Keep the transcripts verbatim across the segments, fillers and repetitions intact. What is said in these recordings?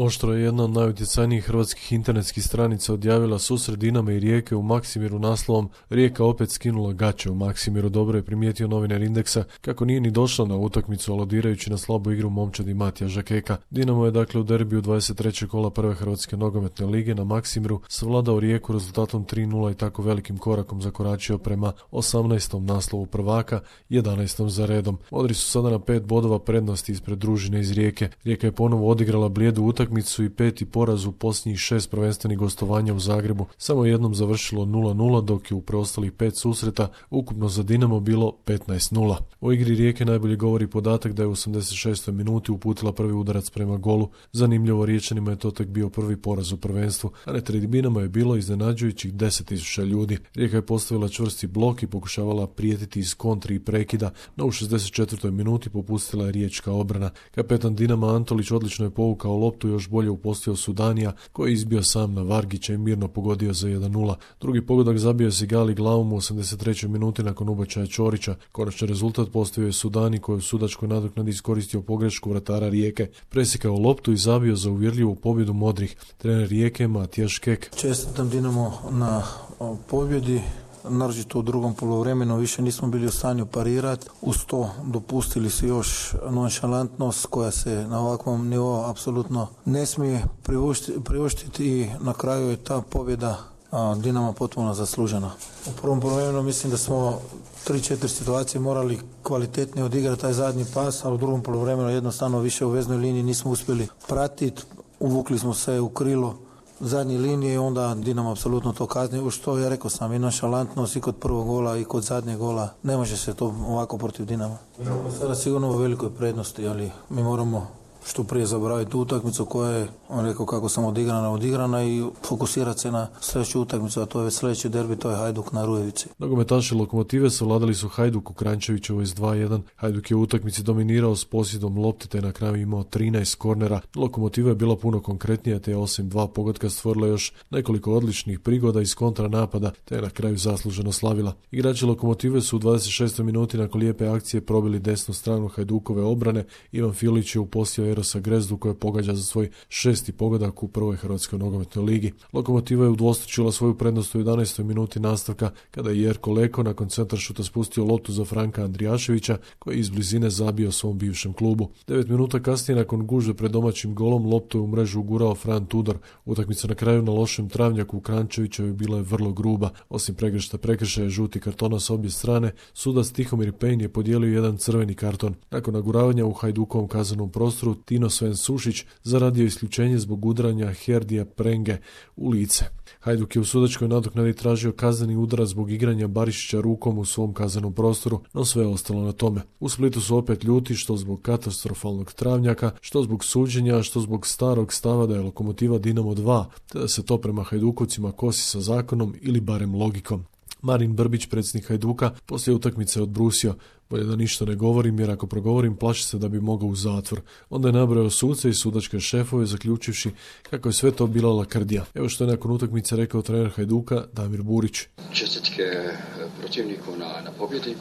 Oštro je jedna od najutjecajnijih hrvatskih internetskih stranica odjavila susret Dinama i Rijeke u Maksimiru naslovom "Rijeka opet skinula gaće u Maksimiru". Dobro je primijetio novinar Indeksa kako nije ni došla na utakmicu, aludirajući na slabu igru momčadi Matija Žakeka. Dinamo je dakle u derbiju dvadeset trećeg kola prve hrvatske nogometne lige na Maksimiru savladao Rijeku rezultatom tri nula i tako velikim korakom zakoračio prema osamnaestom naslovu prvaka, jedanaestom za redom. Modri su sada na pet bodova prednosti ispred družine iz Rijeke. Rijeka je ponovo odigrala blijedu utakmicu i peti poraz u posljednjih šest prvenstvenih gostovanja u Zagrebu. Samo jednom završilo nula nula, dok je u preostalih pet susreta ukupno za Dinamo bilo petnaest nula. O igri Rijeke najbolje govori podatak da je u osamdeset šestoj minuti uputila prvi udarac prema golu. Zanimljivo, Riječanima je to tek bio prvi poraz u prvenstvu, a na tribinama je bilo iznenađujućih deset tisuća ljudi. Rijeka je postavila čvrsti blok i pokušavala prijetiti iz kontri i prekida, no u šezdeset četvrtoj minuti popustila je riječka obrana. Kapetan Dinama Antolić odlično je povukao loptu i još bolje upostio Sudanija, koji je izbio sam na Vargića i mirno pogodio za jedan nula. Drugi pogodak zabio je Sigali glavom u osamdeset trećoj minuti nakon ubačaja Ćorića. Konačni rezultat postavio je Sudani, koji je u sudačkoj nadoknadi iskoristio pogrešku vratara Rijeke, presjekao loptu i zabio za uvjerljivu pobjedu modrih. Trener Rijeke Matija Škek: čestitam Dinamo na pobjedi. Naročito u drugom poluvremenu više nismo bili u stanju parirati. Uz to dopustili su još nonšalantnost koja se na ovakvom nivou apsolutno ne smije priuštiti i na kraju je ta pobjeda Dinama potpuno zaslužena. U prvom poluvremenu mislim da smo tri četiri situacije morali kvalitetnije odigrati taj zadnji pas, a u drugom poluvremenu jednostavno više u veznoj liniji nismo uspjeli pratiti. Uvukli smo se u krilo zadnje linije i onda Dinamo apsolutno to kazni. U što ja rekao sam, i nonšalantnost i kod prvog gola i kod zadnjeg gola. Ne može se to ovako protiv Dinama. Sada sigurno u velikoj prednosti, ali mi moramo što prije zaboraviti utakmicu koja je, on rekao kako sam odigrana, odigrana i fokusirati se na sljedeću utakmicu, a to je već sljedeći derbi, to je Hajduk na Rujevici. Nogometaši Lokomotive savladali su Hajduk u Kranjčevićevoj s dva jedan. Hajduk je u utakmici dominirao s posjedom lopte te na kraju imao trinaest kornera. Lokomotiva je bila puno konkretnija te je osim dva pogotka stvorila još nekoliko odličnih prigoda iz kontranapada te je na kraju zasluženo slavila. Igrači Lokomotive su u dvadeset šestoj minuti nakon lijepe akcije probili desnu stranu Hajdukove obrane. Ivan Filić je upostio Erosa Grezdu koji pogađa za svoj šesti pogodak u prvoj hrvatskoj nogometnoj ligi. Lokomotiva je udvostručila svoju prednost u jedanaestoj minuti nastavka kada je Jerko Leko nakon centaršuta spustio loptu za Franka Andrijaševića koji je iz blizine zabio svom bivšem klubu. Devet minuta kasnije nakon gužve pred domaćim golom loptu je u mrežu ugurao Fran Tudor. Utakmica na kraju na lošem travnjaku u Kranjčevićevoj bila je vrlo gruba. Osim pregršta prekršaja žuti kartona s obje strane, sudac Tihomir Pejn je podijelio jedan crveni karton. Nakon naguravanja u Hajdukovom kaznenom prostoru Tino Sven Sušić zaradio isključenje zbog udaranja Herdija Prenge u lice. Hajduk je u sudačkoj nadoknadi tražio kazneni udarac zbog igranja Barišića rukom u svom kaznenom prostoru, no sve je ostalo na tome. U Splitu su opet ljuti, što zbog katastrofalnog travnjaka, što zbog suđenja, što zbog starog stava da je Lokomotiva Dinamo dva, te da se to prema Hajdukovcima kosi sa zakonom ili barem logikom. Marin Brbić, predsjednik Hajduka, poslije utakmice odbrusio: bolje da ništa ne govorim, jer ako progovorim plaši se da bi mogao u zatvor. Onda je nabrojao suce i sudačke šefove, zaključivši kako je sve to bila lakrdija. Evo što je nakon utakmice rekao trener Hajduka Damir Burić: čestitke protivniku na, na pobjedi. E,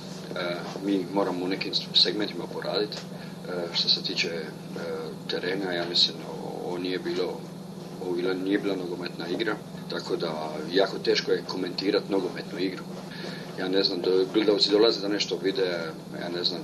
mi moramo u nekim segmentima poraditi. E, što se tiče e, terena, ja mislim ovo nije bilo ovo nije bila nogometna igra, tako da jako teško je komentirati nogometnu igru. Ja ne znam, do, gledalci dolaze da nešto vide, ja ne znam,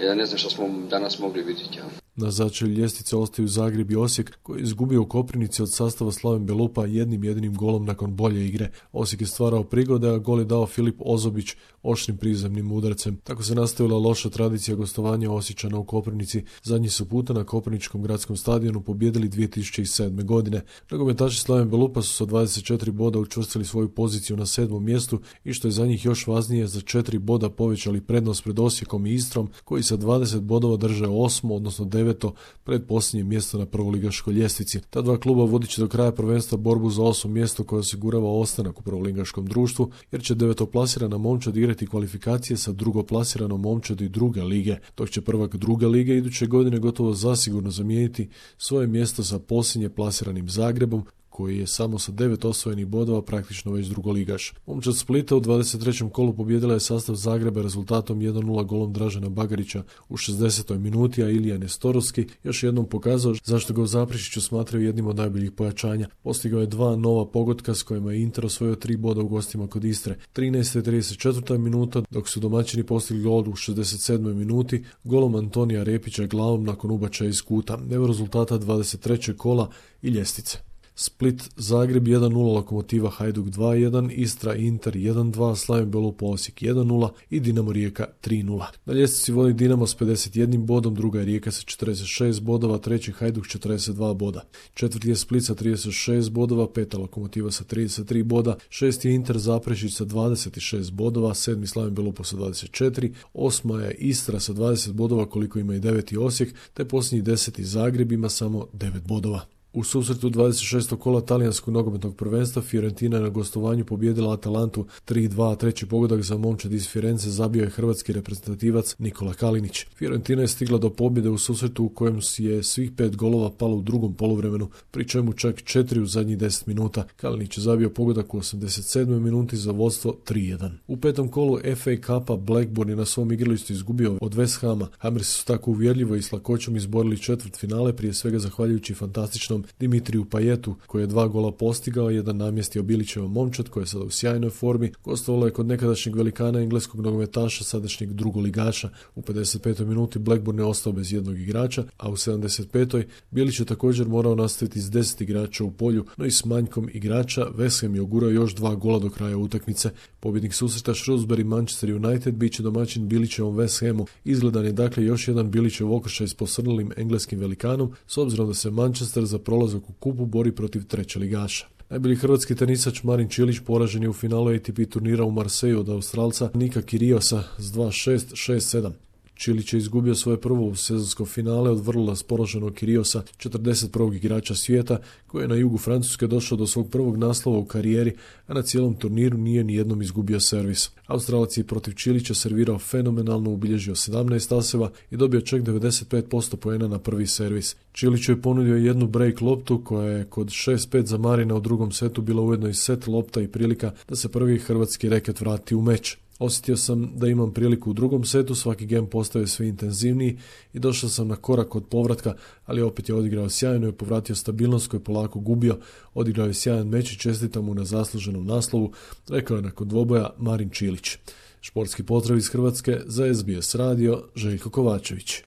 ja ne znam što smo danas mogli vidjeti. Ja. Na začelju ljestvice ostaju Zagreb i Osijek, koji je izgubio u Koprivnici od sastava Slaven Belupa jednim jedinim golom nakon bolje igre. Osijek je stvarao prigode, a gol je dao Filip Ozobić oštrim prizemnim udarcem. Tako se nastavila loša tradicija gostovanja Osječana u Koprivnici. Zadnji su puta na Koprivničkom gradskom stadionu pobijedili dvije tisuće sedme. godine. Nogometaši Slaven Belupa su sa dvadeset četiri boda učvrstili svoju poziciju na sedmom mjestu i što je za njih još važnije, za četiri boda povećali prednost pred Osijekom i Istrom, koji sa dvadeset bodova drže osmo, odnosno deveto pred posljednje mjesto na prvoligaškoj ljestvici. Ta dva kluba vodit će do kraja prvenstva borbu za osmo mjesto koje osigurava ostanak u prvoligaškom društvu, jer će devetoplasirana momčad igrati kvalifikacije sa drugoplasiranom momčadi druge lige, dok će prvak druge lige iduće godine gotovo zasigurno zamijeniti svoje mjesto sa posljednje plasiranim Zagrebom, koji je samo sa devet osvojenih bodova praktično već drugoligaš. Momčad Splita u dvadeset trećem kolu pobijedila je sastav Zagreba rezultatom jedan nula golom Dražena Bagarića u šezdesetoj minuti, a Ilija Nestorovski još jednom pokazao zašto ga u Zaprešiću smatraju jednim od najboljih pojačanja. Postigao je dva nova pogotka s kojima je Inter osvojio tri boda u gostima kod Istre. trinaesta i trideset četvrta minuta, dok su domaćini postigli gol u šezdeset sedmoj minuti golom Antonija Repića glavom nakon ubačaja iz kuta. Evo rezultata dvadeset trećeg kola i ljestvice. Split Zagreb jedan nula, Lokomotiva Hajduk dva jedan, Istra Inter jedan dva, Slaven Belup Osijek jedan nula i Dinamo Rijeka tri nula. Na ljestvici vodi Dinamo s pedeset jednim bodom, druga je Rijeka sa četrdeset šest bodova, treći Hajduk četrdeset dva boda. Četvrti je Split sa trideset šest bodova, peta Lokomotiva sa trideset tri boda, šesti je Inter Zaprešić sa dvadeset šest bodova, sedmi Slaven Belupo sa dvadeset četiri, osma je Istra sa dvadeset bodova koliko ima i deveti Osijek, te posljednji deseti Zagreb ima samo devet bodova. U susretu dvadeset šestog kola talijanskog nogometnog prvenstva Fiorentina je na gostovanju pobijedila Atalantu tri dva, a treći pogodak za momčad iz Firence zabio je hrvatski reprezentativac Nikola Kalinić. Fiorentina je stigla do pobjede u susretu u kojem je svih pet golova palo u drugom poluvremenu, pri čemu čak četiri u zadnjih deset minuta. Kalinić je zabio pogodak u osamdeset sedmoj minuti za vodstvo tri jedan. U petom kolu F A Cupa Blackburn je na svom igralištu izgubio od West Hama. Hamersi su tako uvjerljivo i s lakoćom izborili četvrt finale, prije svega zahvaljujući fantastičnom Dimitriju Pajetu, koji je dva gola postigao, jedan namjestio Bilićevo momčad, koja je sada u sjajnoj formi. Gostovalo je kod nekadašnjeg velikana engleskog nogometaša, sadašnjeg drugoligaša. U pedeset petoj minuti Blackburn je ostao bez jednog igrača, a u sedamdeset petoj Bilić je također morao nastaviti s deset igrača u polju, no i s manjkom igrača West Ham je ugurao još dva gola do kraja utakmice. Pobjednik susreta Shrewsbury Manchester United bit će domaćin Bilićevom West Hamu. Izgledan je dakle još jedan Bilićev okršaj s posrnulim engleskim velikanom, s obzirom da se Manchester za prolazak u kupu bori protiv treće ligaša. Najbolji hrvatski tenisač Marin Čilić poražen je u finalu A T P turnira u Marseju od Australca Nika Kyriosa s dva šest, šest sedam. Čilić je izgubio svoje prvo sezonsko finale od vrlo raspoloženog Kyriosa, četrdeset prvog igrača svijeta, koji je na jugu Francuske došao do svog prvog naslova u karijeri, a na cijelom turniru nije ni jednom izgubio servis. Australac je protiv Čilića servirao fenomenalno, ubilježio sedamnaest aseva i dobio čak devedeset pet posto poena na prvi servis. Čiliću je ponudio jednu break loptu koja je kod šest pet za Marina u drugom setu bila ujedno i set lopta i prilika da se prvi hrvatski reket vrati u meč. Osjetio sam da imam priliku u drugom setu, svaki gem postaje sve intenzivniji i došao sam na korak od povratka, ali opet je odigrao sjajno i povratio stabilnost koju je polako gubio. Odigrao je sjajan meč i čestitam mu na zasluženom naslovu, rekao je nakon dvoboja Marin Čilić. Športski pozdrav iz Hrvatske za S B S radio, Željko Kovačević.